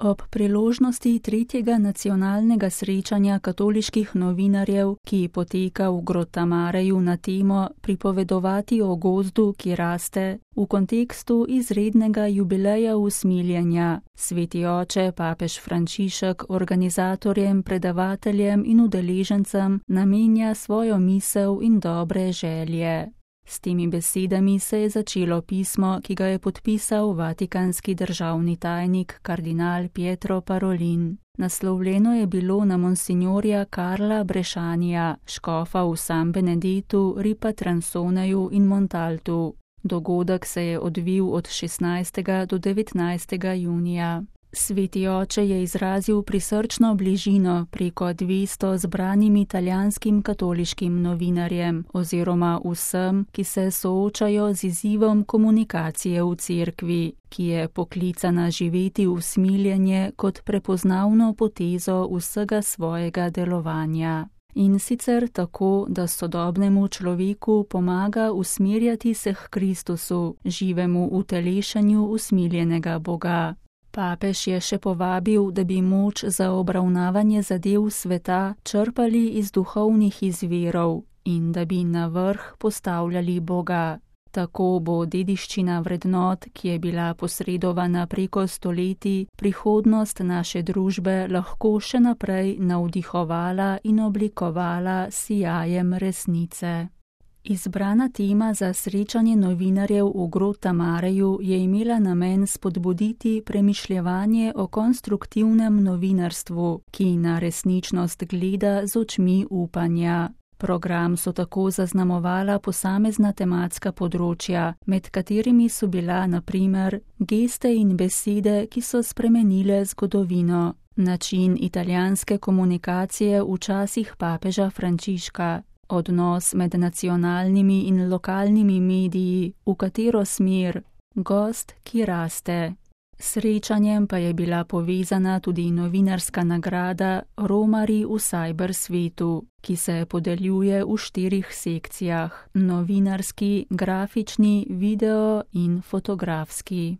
Ob priložnosti 3. nacionalnega srečanja katoliških novinarjev, ki poteka v Grottamareju na temo Pripovedovati o gozdu, ki raste, v kontekstu izrednega jubileja usmiljenja, Sveti oče papež Frančišek organizatorjem, predavateljem in udeležencem namenja svojo misel in dobre želje. S temi besedami se je začelo pismo, ki ga je podpisal vatikanski državni tajnik kardinal Pietro Parolin. Naslovljeno je bilo na monsignorja Karla Brešanija, škofa v San Benedetu, Ripatransoneju in Montaltu. Dogodek se je odvil od 16. do 19. junija. Sveti oče je izrazil prisrčno bližino preko 200 zbranim italijanskim katoliškim novinarjem oziroma vsem, ki se soočajo z izzivom komunikacije v cerkvi, ki je poklicana živeti usmiljenje kot prepoznavno potezo vsega svojega delovanja. In sicer tako, da sodobnemu človeku pomaga usmerjati se k Kristusu, živemu utelešanju usmiljenega Boga. Papež je še povabil, da bi moč za obravnavanje zadev sveta črpali iz duhovnih izvirov in da bi na vrh postavljali Boga. Tako bo dediščina vrednot, ki je bila posredovana preko stoletij, prihodnost naše družbe lahko še naprej navdihovala in oblikovala s sijajem resnice. Izbrana tema za srečanje novinarjev v Grottamareju je imela namen spodbuditi premišljevanje o konstruktivnem novinarstvu, ki na resničnost gleda z očmi upanja. Program so tako zaznamovala posamezna tematska področja, med katerimi so bila na primer geste in besede, ki so spremenile zgodovino, način italijanske komunikacije v časih papeža Frančiška, odnos med nacionalnimi in lokalnimi mediji, v katero smer, gost, ki raste. Srečanjem pa je bila povezana tudi novinarska nagrada Romarji v cybersvetu, ki se podeljuje v 4 sekcijah: novinarski, grafični, video in fotografski.